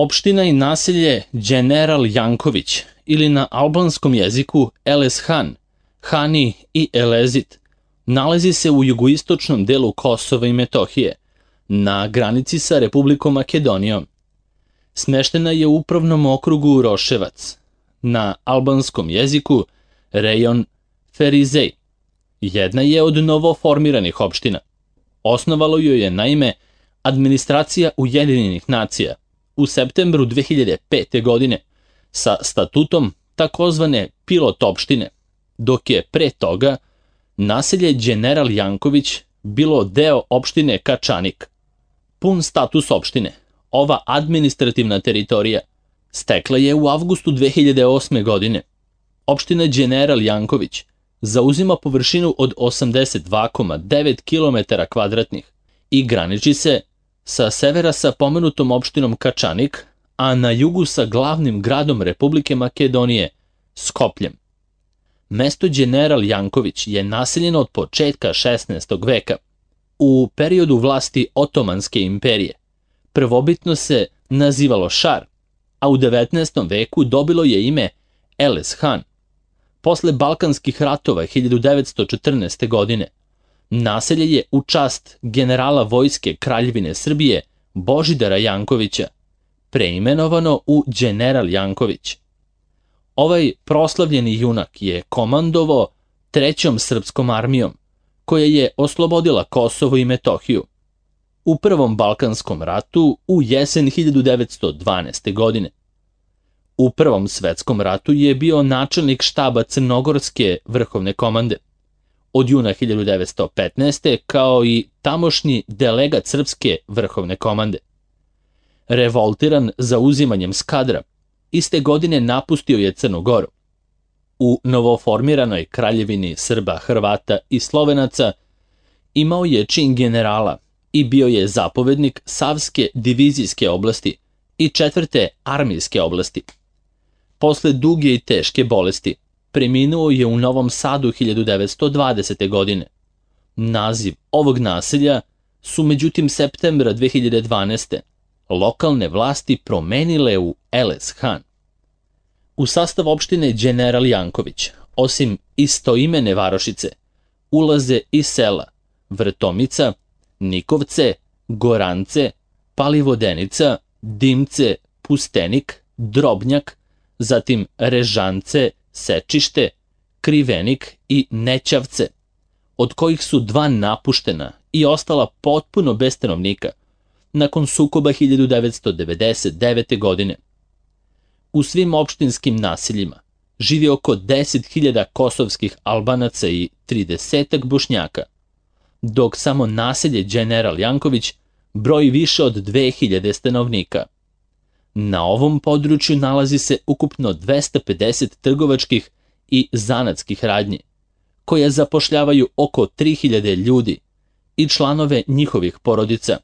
Opština i naselje General Janković ili na albanskom jeziku Eleshan, Hani i Elezit nalazi se u jugoistočnom delu Kosova i Metohije, na granici sa Republikom Makedonijom. Smeštena je u upravnom okrugu Roševac, na albanskom jeziku rejon Ferizej. Jedna je od novoformiranih opština. Osnovalo joj je naime administracija Ujedinjenih nacija u septembru 2005. godine sa statutom takozvane pilot opštine, dok je pre toga naselje General Janković bilo deo opštine Kačanik. Pun status opštine, ova administrativna teritorija, stekla je u avgustu 2008. godine. Opština General Janković zauzima površinu od 82,9 km² i graniči se sa severa sa pomenutom opštinom Kačanik, a na jugu sa glavnim gradom Republike Makedonije, Skopljem. Mesto General Janković je naseljeno od početka 16. veka. U periodu vlasti Otomanske imperije prvobitno se nazivalo Šar, a u 19. veku dobilo je ime Eleshan. Posle Balkanskih ratova 1914. godine naselje je u čast generala vojske Kraljevine Srbije Božidara Jankovića preimenovano u General Janković. Ovaj proslavljeni junak je komandovao Trećom srpskom armijom, koja je oslobodila Kosovo i Metohiju. U Prvom Balkanskom ratu u jesen 1912. godine. U Prvom svetskom ratu je bio načelnik štaba Crnogorske vrhovne komande. Od juna 1915. kao i tamošnji delegat Srpske vrhovne komande. Revoltiran zauzimanjem Skadra, iste godine napustio je Crnu Goru. U novoformiranoj Kraljevini Srba, Hrvata i Slovenaca imao je čin generala i bio je zapovednik Savske divizijske oblasti i 4. armijske oblasti. Posle duge i teške bolesti preminuo je u Novom Sadu 1920. godine. Naziv ovog naselja su međutim septembra 2012. lokalne vlasti promenile u Eleshan. U sastav opštine General Janković, osim istoimene varošice, ulaze i sela Vrtomica, Nikovce, Gorance, Palivodenica, Dimce, Pustenik, Drobnjak, zatim Režance, Sečište, Krivenik i Nećavce, od kojih su 2 napuštena i ostala potpuno bez stanovnika nakon sukoba 1999. godine. U svim opštinskim naseljima živi oko 10.000 kosovskih Albanaca i 30 Bošnjaka, dok samo naselje General Janković broji više od 2.000 stanovnika. Na ovom području nalazi se ukupno 250 trgovačkih i zanatskih radnji, koje zapošljavaju oko 3.000 ljudi i članove njihovih porodica,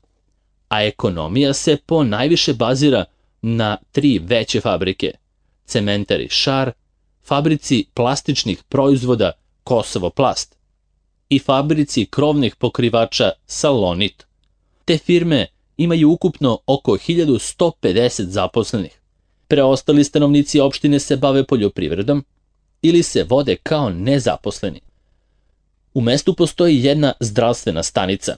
a ekonomija se po najviše bazira na 3 veće fabrike, cementari Šar, fabrici plastičnih proizvoda Kosovo Plast i fabrici krovnih pokrivača Salonit. Te firme imaju ukupno oko 1150 zaposlenih. Preostali stanovnici opštine se bave poljoprivredom ili se vode kao nezaposleni. U mestu postoji jedna zdravstvena stanica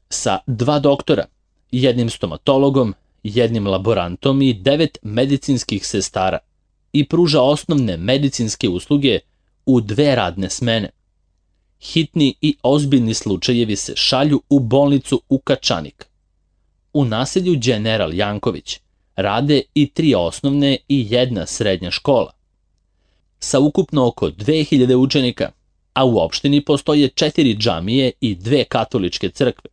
sa 2 doktora, jednim stomatologom, jednim laborantom i 9 medicinskih sestara i pruža osnovne medicinske usluge u 2 radne smene. Hitni i ozbiljni slučajevi se šalju u bolnicu u Kačanik. U naselju General Janković rade i 3 osnovne i 1 srednja škola. Sa ukupno oko 2000 učenika, a u opštini postoje 4 džamije i 2 katoličke crkve.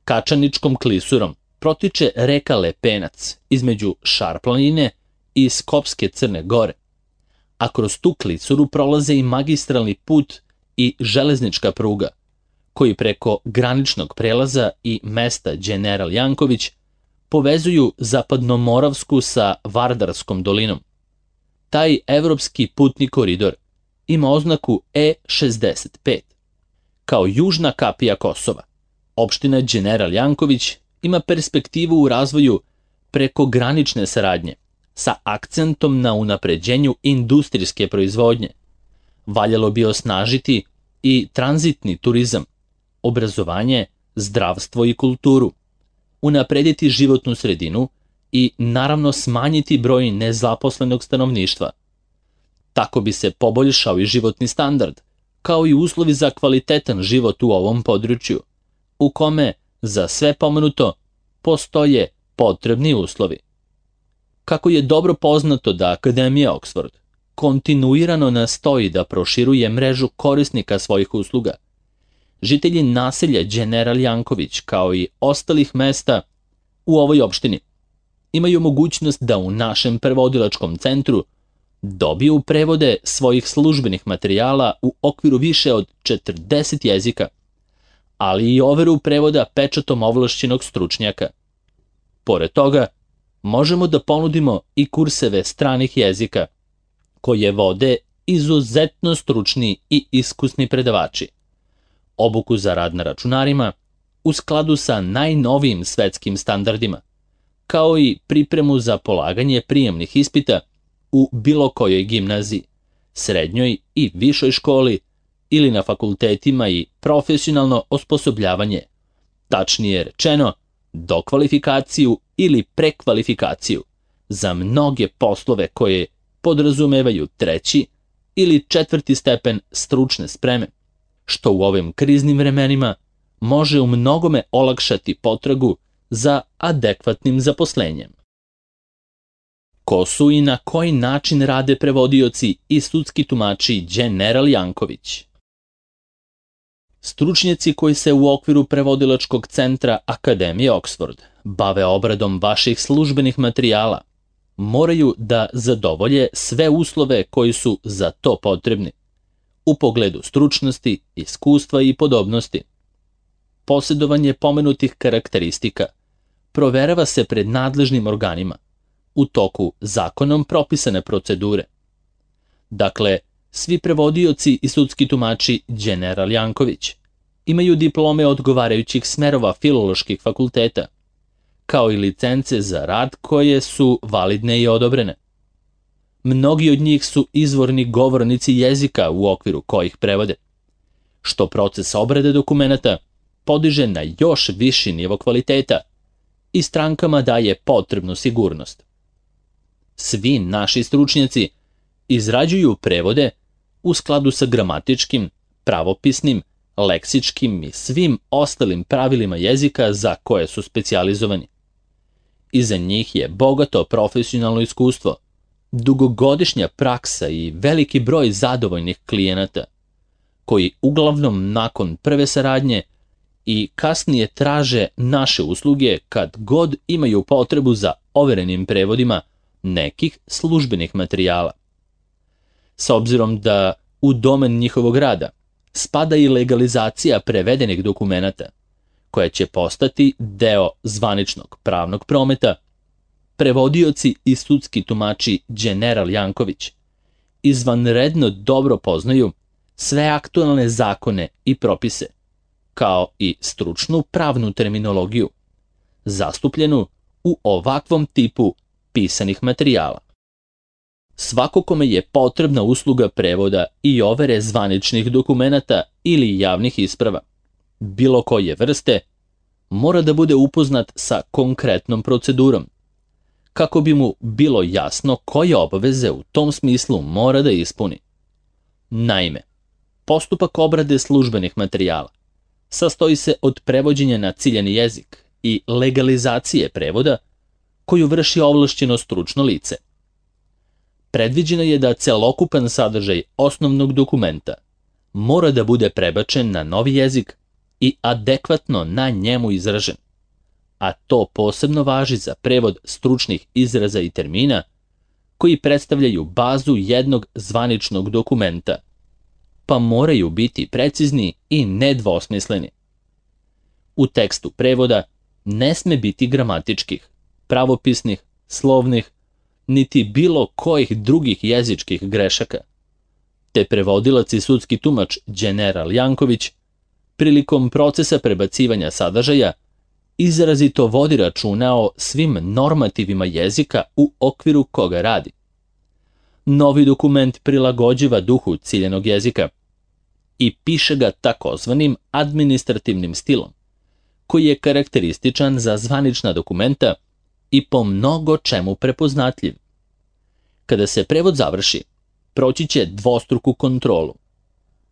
Kačaničkom klisurom protiče reka Lepenac između Šar planine i Skopske Crne Gore, a kroz tu klisuru prolaze i magistralni put i železnička pruga, koji preko graničnog prelaza i mesta General Janković povezuju Zapadnomoravsku sa Vardarskom dolinom. Taj evropski putni koridor ima oznaku E65. Kao južna kapija Kosova, opština General Janković ima perspektivu u razvoju prekogranične saradnje sa akcentom na unapređenju industrijske proizvodnje. Valjalo bi osnažiti i tranzitni turizam, obrazovanje, zdravstvo i kulturu, unaprediti životnu sredinu i naravno smanjiti broj nezaposlenog stanovništva. Tako bi se poboljšao i životni standard, kao i uslovi za kvalitetan život u ovom području, u kome za sve pomenuto postoje potrebni uslovi. Kako je dobro poznato da Akademija Oxford kontinuirano nastoji da proširuje mrežu korisnika svojih usluga, žitelji naselja Đeneral Janković, kao i ostalih mesta u ovoj opštini, imaju mogućnost da u našem prevodilačkom centru dobiju prevode svojih službenih materijala u okviru više od 40 jezika, ali i overu prevoda pečatom ovlašćenog stručnjaka. Pored toga, možemo da ponudimo i kurseve stranih jezika, koje vode izuzetno stručni i iskusni predavači, obuku za rad na računarima u skladu sa najnovijim svetskim standardima, kao i pripremu za polaganje prijemnih ispita u bilo kojoj gimnaziji, srednjoj i višoj školi ili na fakultetima i profesionalno osposobljavanje, tačnije rečeno, dokvalifikaciju ili prekvalifikaciju za mnoge poslove koje podrazumevaju 3. ili 4. stepen stručne spreme, što u ovim kriznim vremenima može u mnogome olakšati potragu za adekvatnim zaposlenjem. Ko su i na koji način rade prevodioci i sudski tumači Đeneral Janković? Stručnjaci koji se u okviru prevodilačkog centra Akademije Oxford bave obradom vaših službenih materijala moraju da zadovolje sve uslove koji su za to potrebni u pogledu stručnosti, iskustva i podobnosti. Posjedovanje pomenutih karakteristika proverava se pred nadležnim organima u toku zakonom propisane procedure. Dakle, svi prevodioci i sudski tumači Đeneral Janković imaju diplome odgovarajućih smerova filoloških fakulteta, kao i licence za rad koje su validne i odobrene. Mnogi od njih su izvorni govornici jezika u okviru kojih prevode, što proces obrade dokumenata podiže na još viši nivo kvaliteta i strankama daje potrebnu sigurnost. Svi naši stručnjaci izrađuju prevode u skladu sa gramatičkim, pravopisnim, leksičkim i svim ostalim pravilima jezika za koje su specijalizovani. Iza njih je bogato profesionalno iskustvo, dugogodišnja praksa i veliki broj zadovoljnih klijenata, koji uglavnom nakon prve saradnje i kasnije traže naše usluge kad god imaju potrebu za overenim prevodima nekih službenih materijala. S obzirom da u domen njihovog rada spada i legalizacija prevedenih dokumenata, koja će postati deo zvaničnog pravnog prometa, prevodioci i sudski tumači Đeneral Janković izvanredno dobro poznaju sve aktualne zakone i propise, kao i stručnu pravnu terminologiju, zastupljenu u ovakvom tipu pisanih materijala. Svako kome je potrebna usluga prevoda i overe zvaničnih dokumenata ili javnih isprava, bilo koje vrste, mora da bude upoznat sa konkretnom procedurom, kako bi mu bilo jasno koje obaveze u tom smislu mora da ispuni. Naime, postupak obrade službenih materijala sastoji se od prevođenja na ciljani jezik i legalizacije prevoda koju vrši ovlašćeno stručno lice. Predviđeno je da celokupan sadržaj osnovnog dokumenta mora da bude prebačen na novi jezik i adekvatno na njemu izražen, a to posebno važi za prevod stručnih izraza i termina koji predstavljaju bazu jednog zvaničnog dokumenta, pa moraju biti precizni i nedvosmisleni. U tekstu prevoda ne sme biti gramatičkih, pravopisnih, slovnih, niti bilo kojih drugih jezičkih grešaka, te prevodilac i sudski tumač Đeneral Janković prilikom procesa prebacivanja sadržaja izrazito vodi računa o svim normativima jezika u okviru koga radi. Novi dokument prilagođava duhu ciljenog jezika i piše ga takozvanim administrativnim stilom, koji je karakterističan za zvanična dokumenta i po mnogo čemu prepoznatljiv. Kada se prevod završi, proći će dvostruku kontrolu.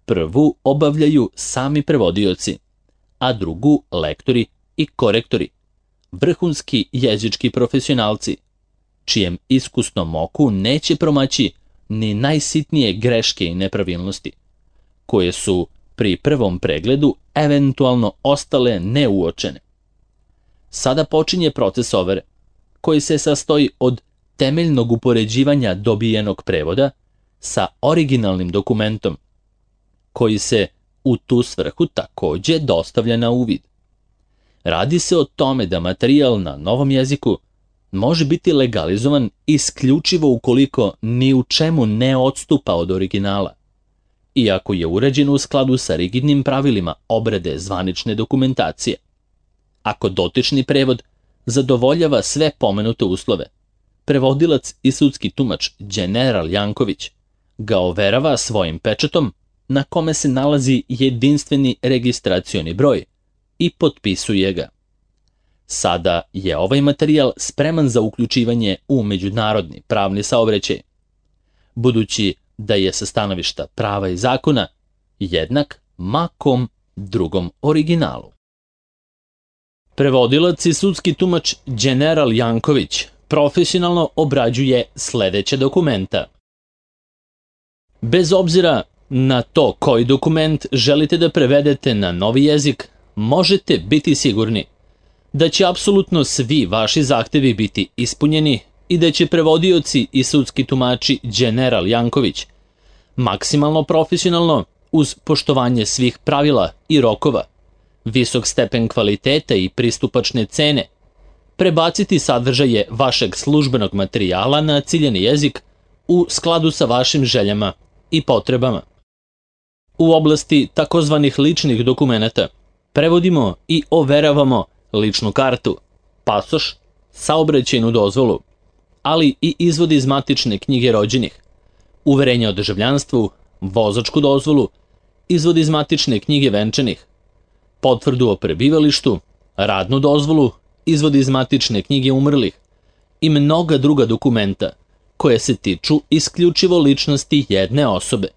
Prvu obavljaju sami prevodioci, a drugu lektori i korektori, vrhunski jezički profesionalci, čijem iskusnom oku neće promaći ni najsitnije greške i nepravilnosti, koje su pri prvom pregledu eventualno ostale neuočene. Sada počinje proces overe, koji se sastoji od temeljnog upoređivanja dobijenog prevoda sa originalnim dokumentom, koji se u tu svrhu takođe dostavlja na uvid. Radi se o tome da materijal na novom jeziku može biti legalizovan isključivo ukoliko ni u čemu ne odstupa od originala, iako je urađen u skladu sa rigidnim pravilima obrade zvanične dokumentacije. Ako dotični prevod zadovoljava sve pomenute uslove, prevodilac i sudski tumač General Janković ga overava svojim pečatom na kome se nalazi jedinstveni registracioni broj i potpisuje ga. Sada je ovaj materijal spreman za uključivanje u međunarodni pravni saobraćaj, budući da je sa stanovišta prava i zakona jednak ma kom drugom originalu. Prevodilac i sudski tumač General Janković profesionalno obrađuje sledeće dokumenta. Bez obzira na to koji dokument želite da prevedete na novi jezik, možete biti sigurni da će apsolutno svi vaši zahtevi biti ispunjeni i da će prevodioci i sudski tumači General Janković maksimalno profesionalno, uz poštovanje svih pravila i rokova, visok stepen kvaliteta i pristupačne cene, prebaciti sadržaje vašeg službenog materijala na ciljeni jezik u skladu sa vašim željama i potrebama. U oblasti takozvanih ličnih dokumenata prevodimo i overavamo ličnu kartu, pasoš, saobraćajnu dozvolu, ali i izvod iz matične knjige rođenih, uverenje o državljanstvu, vozačku dozvolu, izvod iz matične knjige venčanih, potvrdu o prebivalištu, radnu dozvolu, izvod iz matične knjige umrlih i mnoga druga dokumenta koje se tiču isključivo ličnosti jedne osobe.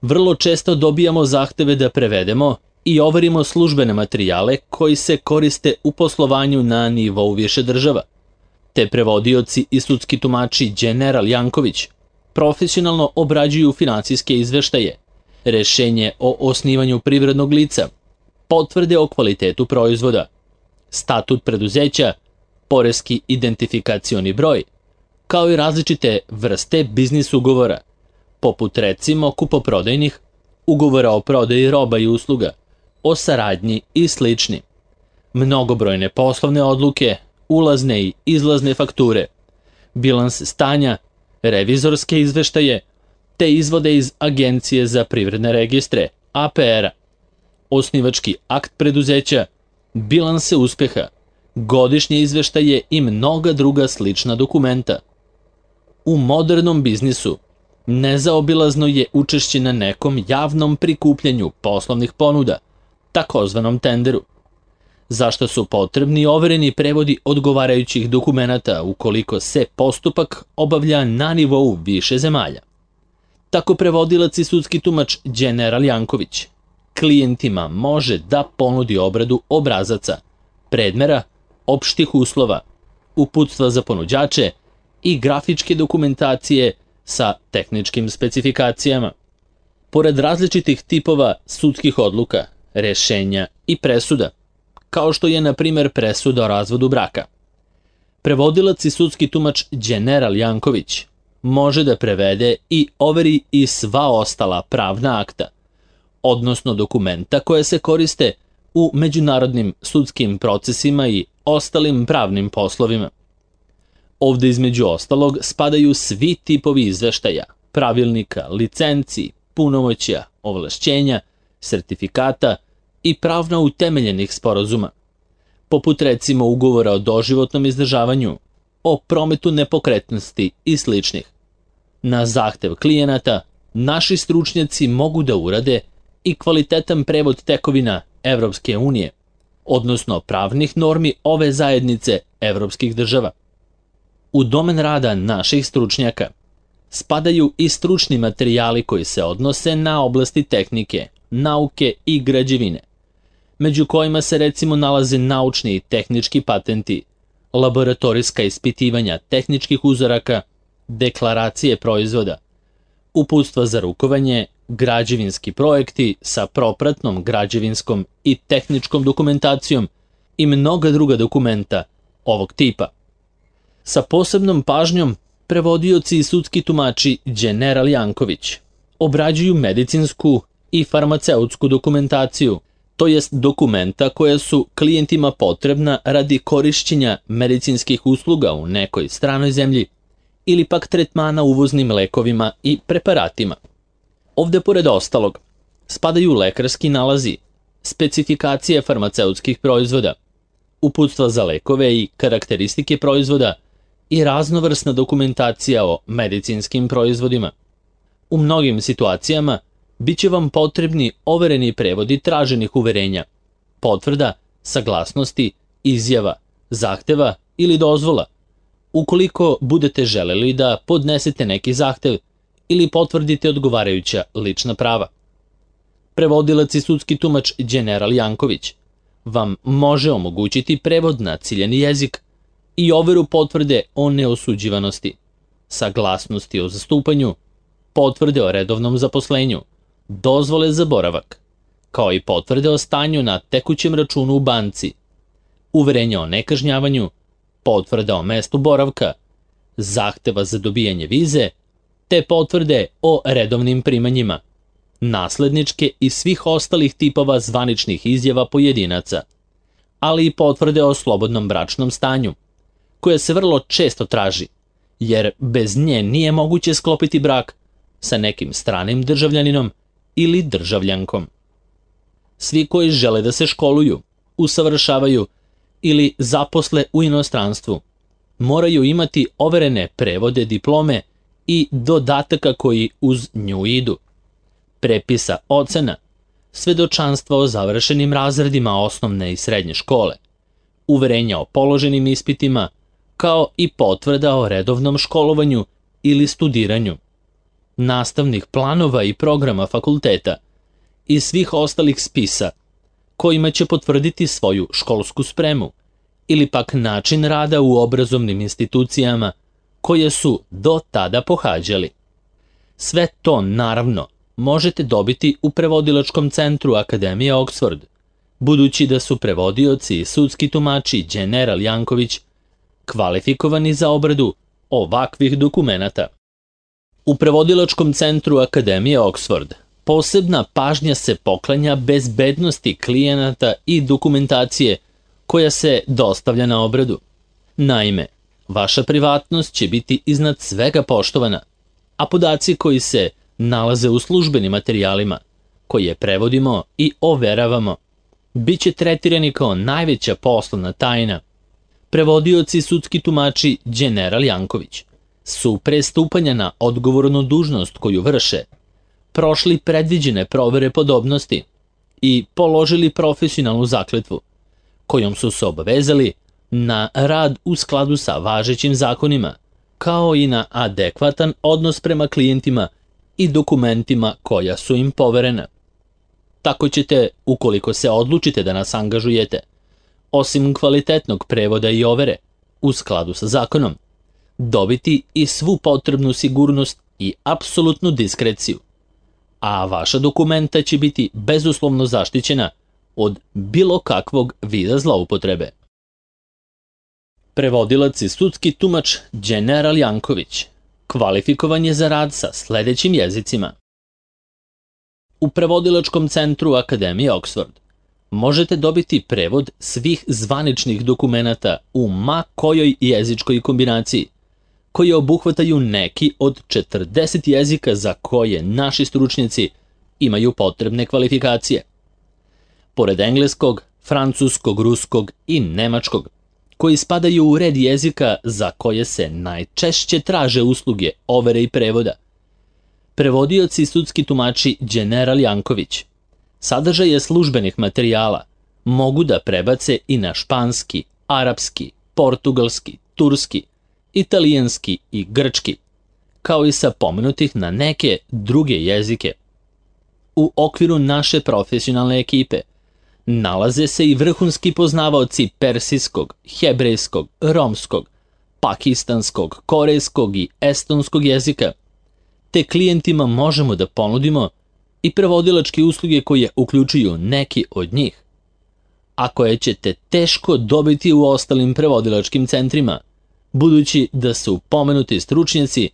Vrlo često dobijamo zahteve da prevedemo i overimo službene materijale koji se koriste u poslovanju na nivou više država, te prevodioci i sudski tumači General Janković profesionalno obrađuju finansijske izveštaje, rešenje o osnivanju privrednog lica, potvrde o kvalitetu proizvoda, statut preduzeća, poreski identifikacioni broj, kao i različite vrste biznis ugovora, poput recimo kupoprodajnih, ugovora o prodaji roba i usluga, o saradnji i slični, mnogobrojne poslovne odluke, ulazne i izlazne fakture, bilans stanja, revizorske izveštaje, te izvode iz Agencije za privredne registre, APR-a, osnivački akt preduzeća, bilanse uspeha, godišnje izveštaje i mnoga druga slična dokumenta. U modernom biznisu nezaobilazno je učešće na nekom javnom prikupljanju poslovnih ponuda, takozvanom tenderu, zašto su potrebni overeni prevodi odgovarajućih dokumenata ukoliko se postupak obavlja na nivou više zemalja. Tako prevodilac i sudski tumač General Janković klijentima može da ponudi obradu obrazaca, predmera, opštih uslova, uputstva za ponuđače i grafičke dokumentacije sa tehničkim specifikacijama. Pored različitih tipova sudskih odluka, rešenja i presuda, kao što je na primer presuda o razvodu braka, prevodilac i sudski tumač General Janković može da prevede i overi i sva ostala pravna akta, odnosno dokumenta koje se koriste u međunarodnim sudskim procesima i ostalim pravnim poslovima. Ovde između ostalog spadaju svi tipovi izveštaja, pravilnika, licenci, punomoćja, ovlašćenja, sertifikata i pravno utemeljenih sporazuma, poput recimo ugovora o doživotnom izdržavanju, o prometu nepokretnosti i sličnih. Na zahtev klijenata, naši stručnjaci mogu da urade i kvalitetan prevod tekovina Evropske unije, odnosno pravnih normi ove zajednice evropskih država. U domen rada naših stručnjaka spadaju i stručni materijali koji se odnose na oblasti tehnike, nauke i građevine, među kojima se recimo nalaze naučni i tehnički patenti, laboratorijska ispitivanja tehničkih uzoraka, deklaracije proizvoda, uputstva za rukovanje, građevinski projekti sa propratnom građevinskom i tehničkom dokumentacijom i mnoga druga dokumenta ovog tipa. Sa posebnom pažnjom prevodioci i sudski tumači Đeneral Janković obrađuju medicinsku i farmaceutsku dokumentaciju, to jest dokumenta koja su klijentima potrebna radi korišćenja medicinskih usluga u nekoj stranoj zemlji ili pak tretmana uvoznim lekovima i preparatima. Ovde, pored ostalog, spadaju lekarski nalazi, specifikacije farmaceutskih proizvoda, uputstva za lekove i karakteristike proizvoda i raznovrsna dokumentacija o medicinskim proizvodima. U mnogim situacijama biće vam potrebni overeni prevodi traženih uverenja, potvrda, saglasnosti, izjava, zahteva ili dozvola, ukoliko budete želeli da podnesete neki zahtev ili potvrdite odgovarajuća lična prava. Prevodilac i sudski tumač Đeneral Janković vam može omogućiti prevod na ciljani jezik i overu potvrde o neosuđivanosti, saglasnosti o zastupanju, potvrde o redovnom zaposlenju, dozvole za boravak, kao i potvrde o stanju na tekućem računu u banci, uverenja o nekažnjavanju, potvrda o mestu boravka, zahteva za dobijanje vize, te potvrde o redovnim primanjima, nasledničke i svih ostalih tipova zvaničnih izjava pojedinaca, ali i potvrde o slobodnom bračnom stanju, koja se vrlo često traži, jer bez nje nije moguće sklopiti brak sa nekim stranim državljaninom ili državljankom. Svi koji žele da se školuju, usavršavaju ili zaposle u inostranstvu, moraju imati overene prevode diplome i dodataka koji uz nju idu, prepisa ocena, svedočanstva o završenim razredima osnovne i srednje škole, uverenja o položenim ispitima, kao i potvrda o redovnom školovanju ili studiranju, nastavnih planova i programa fakulteta i svih ostalih spisa kojima će potvrditi svoju školsku spremu ili pak način rada u obrazovnim institucijama koje su do tada pohađali. Sve to, naravno, možete dobiti u prevodilačkom centru Akademije Oxford, budući da su prevodioci i sudski tumači Đeneral Janković kvalifikovani za obradu ovakvih dokumenata. U prevodilačkom centru Akademije Oxford posebna pažnja se poklanja bezbednosti klijenata i dokumentacije koja se dostavlja na obradu. Naime, vaša privatnost će biti iznad svega poštovana, a podaci koji se nalaze u službenim materijalima, koje prevodimo i overavamo, bit će tretirani kao najveća poslovna tajna. Prevodioci i sudski tumači Đeneral Janković su pre stupanja na odgovornu dužnost koju vrše prošli predviđene provere podobnosti i položili profesionalnu zakletvu, kojom su se obavezali na rad u skladu sa važećim zakonima, kao i na adekvatan odnos prema klijentima i dokumentima koja su im poverena. Tako ćete, ukoliko se odlučite da nas angažujete, osim kvalitetnog prevoda i overe, u skladu sa zakonom, dobiti i svu potrebnu sigurnost i apsolutnu diskreciju, a vaša dokumenta će biti bezuslovno zaštićena od bilo kakvog vida zloupotrebe. Prevodilac i sudski tumač Đeneral Janković kvalifikovan je za rad sa sledećim jezicima. U prevodilačkom centru Akademije Oxford možete dobiti prevod svih zvaničnih dokumenata u ma kojoj jezičkoj kombinaciji, koji obuhvataju neki od 40 jezika za koje naši stručnjaci imaju potrebne kvalifikacije. Pored engleskog, francuskog, ruskog i nemačkog, koji spadaju u red jezika za koje se najčešće traže usluge overe i prevoda. Prevodioci i sudski tumači Đeneral Janković sadržaje službenih materijala mogu da prebace i na španski, arapski, portugalski, turski, italijanski i grčki, kao i sa pomenutih na neke druge jezike. U okviru naše profesionalne ekipe nalaze se i vrhunski poznavaoci persijskog, hebrejskog, romskog, pakistanskog, korejskog i estonskog jezika, te klijentima možemo da ponudimo i prevodilačke usluge koje uključuju neki od njih, a koje ćete teško dobiti u ostalim prevodilačkim centrima, budući da su pomenuti stručnjaci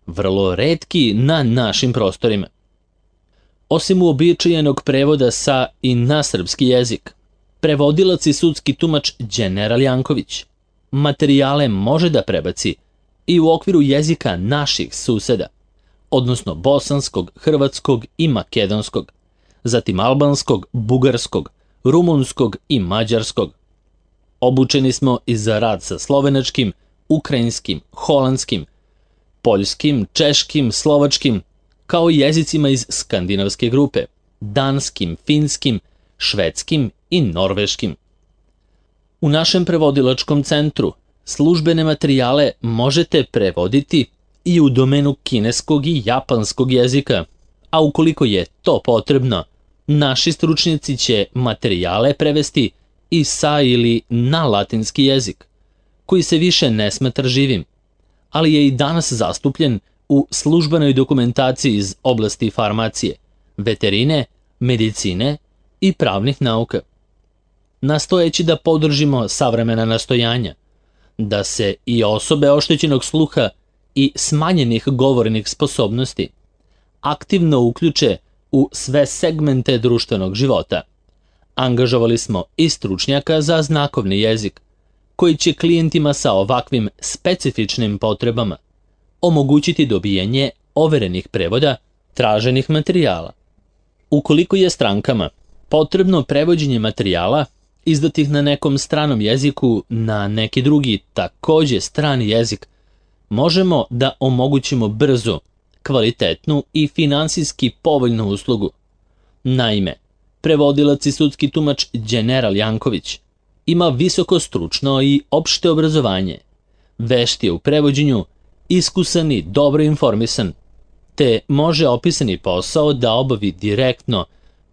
vrlo retki na našim prostorima. Osim uobičajenog prevoda sa i na srpski jezik, prevodilac i sudski tumač Đeneral Janković materijale može da prebaci i u okviru jezika naših suseda, odnosno bosanskog, hrvatskog i makedonskog, zatim albanskog, bugarskog, rumunskog i mađarskog. Obučeni smo i za rad sa slovenačkim, ukrajinskim, holandskim, poljskim, češkim, slovačkim, kao i jezicima iz skandinavske grupe, danskim, finskim, švedskim i norveškim. U našem prevodilačkom centru službene materijale možete prevoditi i u domenu kineskog i japanskog jezika, a ukoliko je to potrebno, naši stručnjaci će materijale prevesti i sa ili na latinski jezik, koji se više ne smatra živim, ali je i danas zastupljen u službenoj dokumentaciji iz oblasti farmacije, veterine, medicine i pravnih nauka. Nastojeći da podržimo savremena nastojanja, da se i osobe oštećenog sluha i smanjenih govornih sposobnosti aktivno uključe u sve segmente društvenog života, angažovali smo i stručnjaka za znakovni jezik, koji će klijentima sa ovakvim specifičnim potrebama omogućiti dobijanje overenih prevoda traženih materijala. Ukoliko je strankama potrebno prevođenje materijala izdatih na nekom stranom jeziku na neki drugi takođe strani jezik, možemo da omogućimo brzu, kvalitetnu i finansijski povoljnu uslugu. Naime, prevodilac i sudski tumač Đeneral Janković ima visoko stručno i opšte obrazovanje, vešt je u prevođenju, iskusan i dobro informisan, te može opisani posao da obavi direktno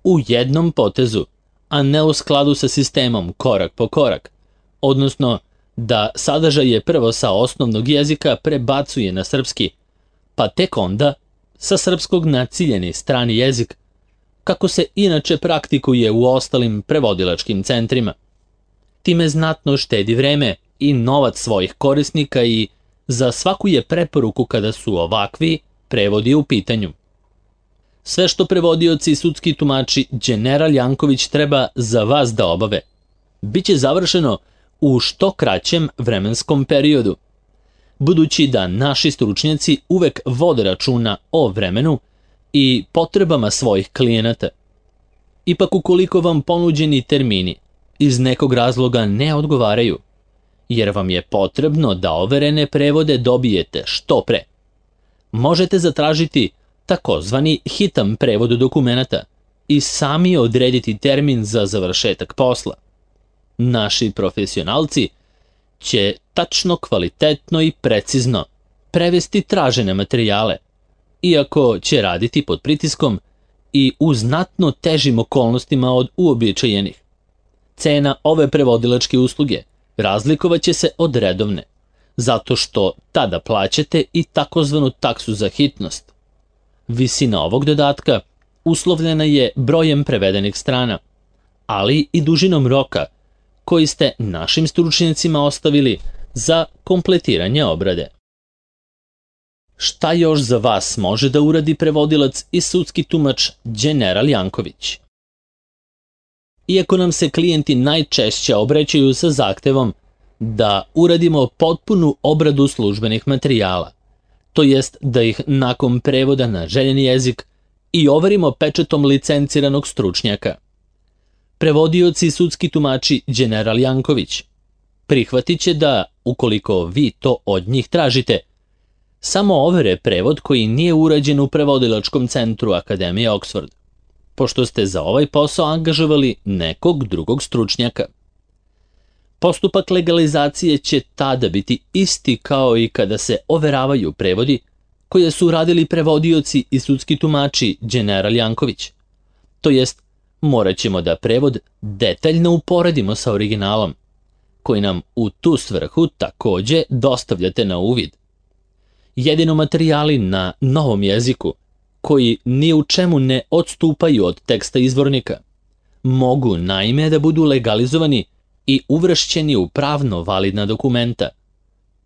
u jednom potezu, a ne u skladu sa sistemom korak po korak, odnosno da sadržaje prvo sa osnovnog jezika prebacuje na srpski, pa tek onda sa srpskog na ciljeni strani jezik, kako se inače praktikuje u ostalim prevodilačkim centrima. Time znatno štedi vreme i novac svojih korisnika i za svaku je preporuku kada su ovakvi prevodi u pitanju. Sve što prevodioci i sudski tumači Đeneral Janković treba za vas da obave, bit će završeno u što kraćem vremenskom periodu, budući da naši stručnjaci uvek vode računa o vremenu i potrebama svojih klijenata. Ipak ukoliko vam ponuđeni termini iz nekog razloga ne odgovaraju, jer vam je potrebno da overene prevode dobijete što pre, možete zatražiti takozvani hitan prevod dokumenata i sami odrediti termin za završetak posla. Naši profesionalci će tačno, kvalitetno i precizno prevesti tražene materijale, iako će raditi pod pritiskom i u znatno težim okolnostima od uobičajenih. Cena ove prevodilačke usluge razlikovaće se od redovne, zato što tada plaćate i takozvanu taksu za hitnost. Visina ovog dodatka uslovljena je brojem prevedenih strana, ali i dužinom roka koji ste našim stručnjacima ostavili za kompletiranje obrade. Šta još za vas može da uradi prevodilac i sudski tumač Đeneral Janković? Iako nam se klijenti najčešće obraćaju sa zahtevom da uradimo potpunu obradu službenih materijala, to jest da ih nakon prevoda na željeni jezik i overimo pečatom licenciranog stručnjaka. prevodioci i sudski tumači Đeneral Janković. Prihvatit će da, ukoliko vi to od njih tražite, samo overe prevod koji nije urađen u prevodilačkom centru Akademije Oxford, pošto ste za ovaj posao angažovali nekog drugog stručnjaka. Postupak legalizacije će tada biti isti kao i kada se overavaju prevodi koje su uradili prevodioci i sudski tumači Đeneral Janković. To jest, morat ćemo da prevod detaljno uporedimo sa originalom, koji nam u tu svrhu takođe dostavljate na uvid. Jedino materijali na novom jeziku, koji ni u čemu ne odstupaju od teksta izvornika, mogu naime da budu legalizovani i uvršćeni u pravno validna dokumenta,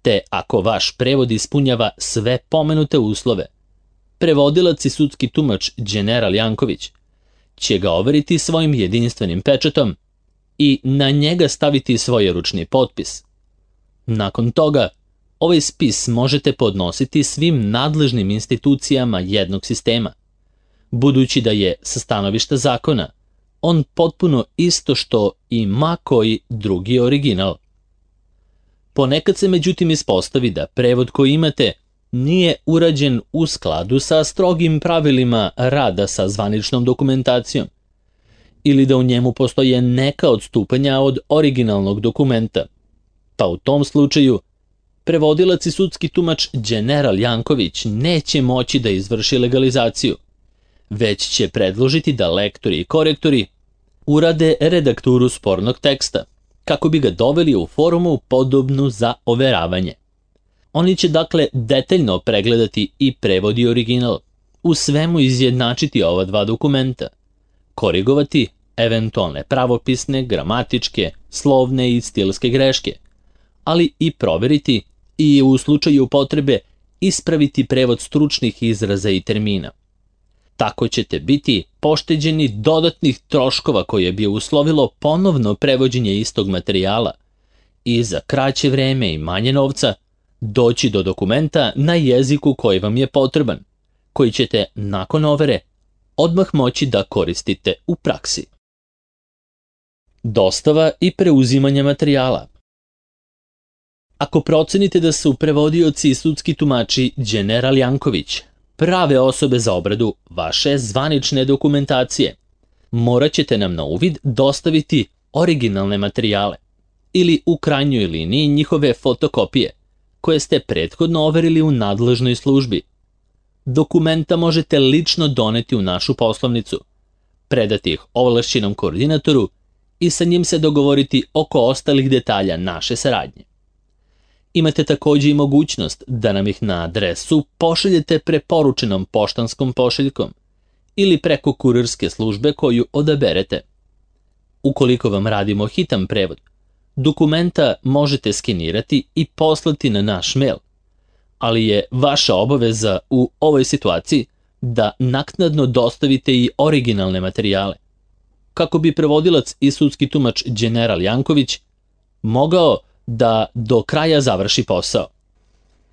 te ako vaš prevod ispunjava sve pomenute uslove, prevodilac i sudski tumač Đeneral Janković će ga overiti svojim jedinstvenim pečatom i na njega staviti svoj ručni potpis. Nakon toga, ovaj spis možete podnositi svim nadležnim institucijama jednog sistema, budući da je sa stanovišta zakona on potpuno isto što i ma koji drugi original. Ponekad se međutim ispostavi da prevod koji imate nije urađen u skladu sa strogim pravilima rada sa zvaničnom dokumentacijom, ili da u njemu postoje neka odstupanja od originalnog dokumenta, pa u tom slučaju prevodilac i sudski tumač Đeneral Janković neće moći da izvrši legalizaciju, već će predložiti da lektori i korektori urade redakturu spornog teksta, kako bi ga doveli u formu podobnu za overavanje. Oni će dakle detaljno pregledati i prevod i original, u svemu izjednačiti ova dva dokumenta, korigovati eventualne pravopisne, gramatičke, slovne i stilske greške, ali i proveriti i u slučaju potrebe ispraviti prevod stručnih izraza i termina. Tako ćete biti pošteđeni dodatnih troškova koje bi uslovilo ponovno prevođenje istog materijala i za kraće vreme i manje novca doći do dokumenta na jeziku koji vam je potreban, koji ćete nakon overe odmah moći da koristite u praksi. Dostava i preuzimanje materijala. Ako procenite da su prevodioci i sudski tumači Đeneral Janković prave osobe za obradu vaše zvanične dokumentacije, morat ćete nam na uvid dostaviti originalne materijale ili u krajnjoj liniji njihove fotokopije koje ste prethodno overili u nadležnoj službi. Dokumenta možete lično doneti u našu poslovnicu, predati ih ovlašćenom koordinatoru i sa njim se dogovoriti oko ostalih detalja naše saradnje. Imate takođe i mogućnost da nam ih na adresu pošaljete preporučenom poštanskom pošiljkom ili preko kurirske službe koju odaberete. Ukoliko vam radimo hitan prevod, dokumenta možete skenirati i poslati na naš mail, ali je vaša obaveza u ovoj situaciji da naknadno dostavite i originalne materijale, kako bi prevodilac i sudski tumač Đeneral Janković mogao da do kraja završi posao.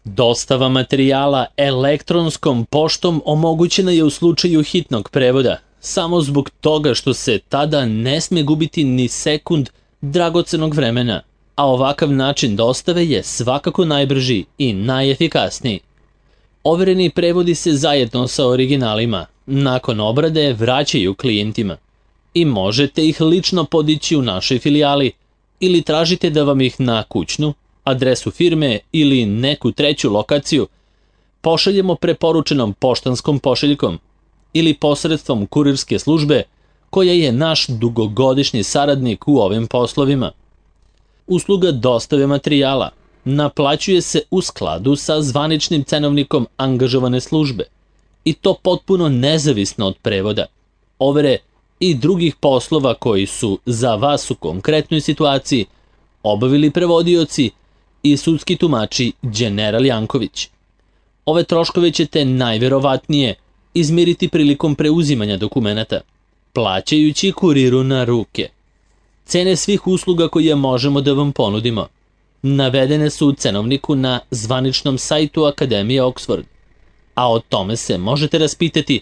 Dostava materijala elektronskom poštom omogućena je u slučaju hitnog prevoda, samo zbog toga što se tada ne sme gubiti ni sekund dragocenog vremena, a ovakav način dostave je svakako najbrži i najefikasniji. Overeni prevodi se zajedno sa originalima, nakon obrade vraćaju klijentima i možete ih lično podići u našoj filijali ili tražite da vam ih na kućnu, adresu firme ili neku treću lokaciju pošaljemo preporučenom poštanskom pošiljkom ili posredstvom kurirske službe koja je naš dugogodišnji saradnik u ovim poslovima. Usluga dostave materijala naplaćuje se u skladu sa zvaničnim cenovnikom angažovane službe i to potpuno nezavisno od prevoda, overe i drugih poslova koji su za vas u konkretnoj situaciji obavili prevodioci i sudski tumači Đeneral Janković. Ove troškove ćete najverovatnije izmiriti prilikom preuzimanja dokumenata, plaćajući kuriru na ruke. Cene svih usluga koje možemo da vam ponudimo navedene su u cenovniku na zvaničnom sajtu Akademije Oxford, a o tome se možete raspitati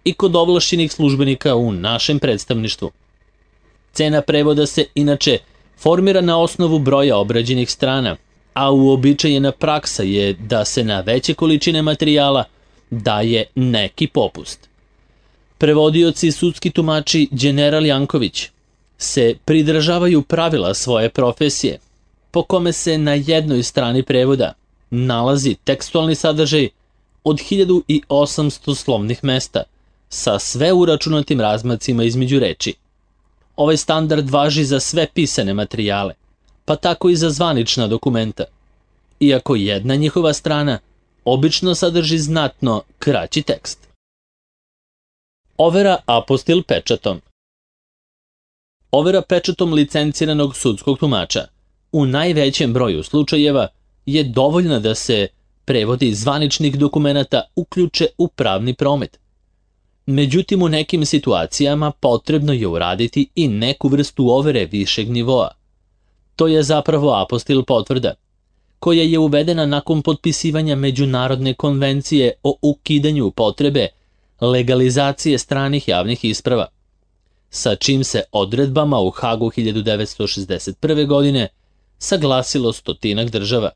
i kod ovlašćenih službenika u našem predstavništvu. Cena prevoda se inače formira na osnovu broja obrađenih strana, a uobičajena praksa je da se na veće količine materijala daje neki popust. Prevodioci i sudski tumači Đeneral Janković se pridržavaju pravila svoje profesije, po kome se na jednoj strani prevoda nalazi tekstualni sadržaj od 1800 slovnih mesta sa sve uračunatim razmacima između reči. Ovaj standard važi za sve pisane materijale, pa tako i za zvanična dokumenta, iako jedna njihova strana obično sadrži znatno kraći tekst. Overa apostil pečatom. Overa pečatom licenciranog sudskog tumača u najvećem broju slučajeva je dovoljna da se prevodi zvaničnih dokumenata uključe u pravni promet. Međutim, u nekim situacijama potrebno je uraditi i neku vrstu overe višeg nivoa. To je zapravo apostil potvrda, koja je uvedena nakon potpisivanja Međunarodne konvencije o ukidanju potrebe legalizacije stranih javnih isprava, sa čim se odredbama u Hagu 1961. godine saglasilo 100 država.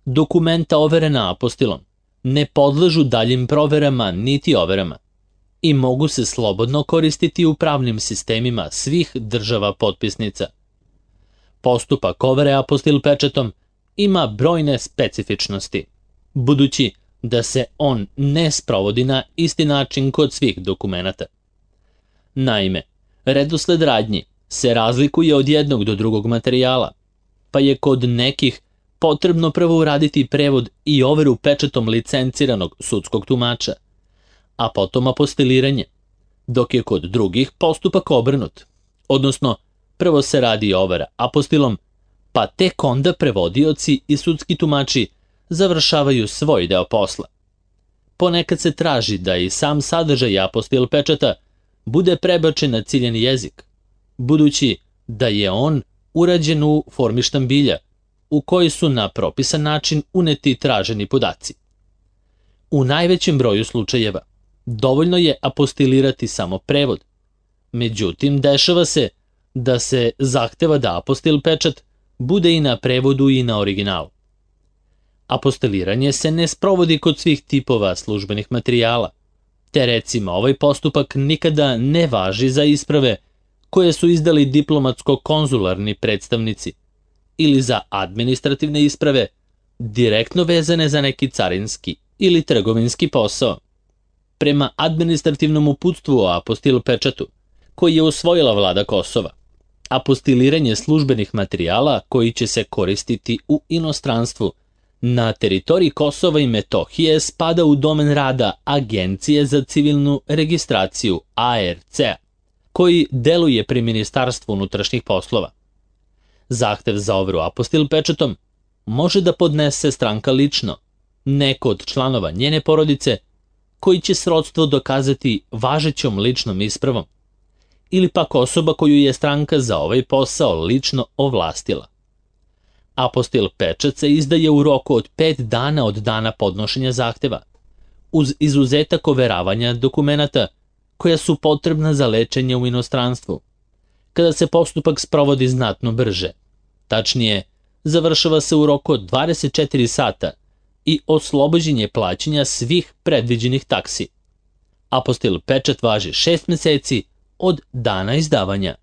Dokumenta overena apostilom ne podležu daljim proverama niti overama i mogu se slobodno koristiti u pravnim sistemima svih država potpisnica. Postupak overe apostil pečatom ima brojne specifičnosti, budući da se on ne sprovodi na isti način kod svih dokumenata. Naime, redosled radnji se razlikuje od jednog do drugog materijala, pa je kod nekih potrebno prvo uraditi prevod i overu pečatom licenciranog sudskog tumača, a potom apostiliranje, dok je kod drugih postupak obrnut, odnosno prvo se radi overa apostilom, pa tek onda prevodioci i sudski tumači završavaju svoj deo posla. Ponekad se traži da i sam sadržaj apostil pečata bude prebačen na ciljani jezik, budući da je on urađen u formi štambilja, u koji su na propisan način uneti traženi podaci. U najvećem broju slučajeva dovoljno je apostilirati samo prevod. Međutim, dešava se da se zahteva da apostil pečat bude i na prevodu i na originalu. Apostiliranje se ne sprovodi kod svih tipova službenih materijala, te recimo ovaj postupak nikada ne važi za isprave koje su izdali diplomatsko-konzularni predstavnici ili za administrativne isprave direktno vezane za neki carinski ili trgovinski posao. Prema administrativnom uputstvu o apostil pečatu, koji je usvojila vlada Kosova, apostiliranje službenih materijala koji će se koristiti u inostranstvu na teritoriji Kosova i Metohije spada u domen rada Agencije za civilnu registraciju ARC, koji deluje pri Ministarstvu unutrašnjih poslova. Zahtev za overu apostil pečatom može da podnese stranka lično, neko od članova njene porodice, koji će srodstvo dokazati važećom ličnom ispravom, ili pak osoba koju je stranka za ovaj posao lično ovlastila. Apostil pečat se izdaje u roku od 5 dana od dana podnošenja zahteva, uz izuzetak overavanja dokumenata koja su potrebna za lečenje u inostranstvu, kada se postupak sprovodi znatno brže. Tačnije, završava se u roku od 24 sata i oslobođenje plaćanja svih predviđenih taksi. Apostil pečat važi 6 meseci od dana izdavanja.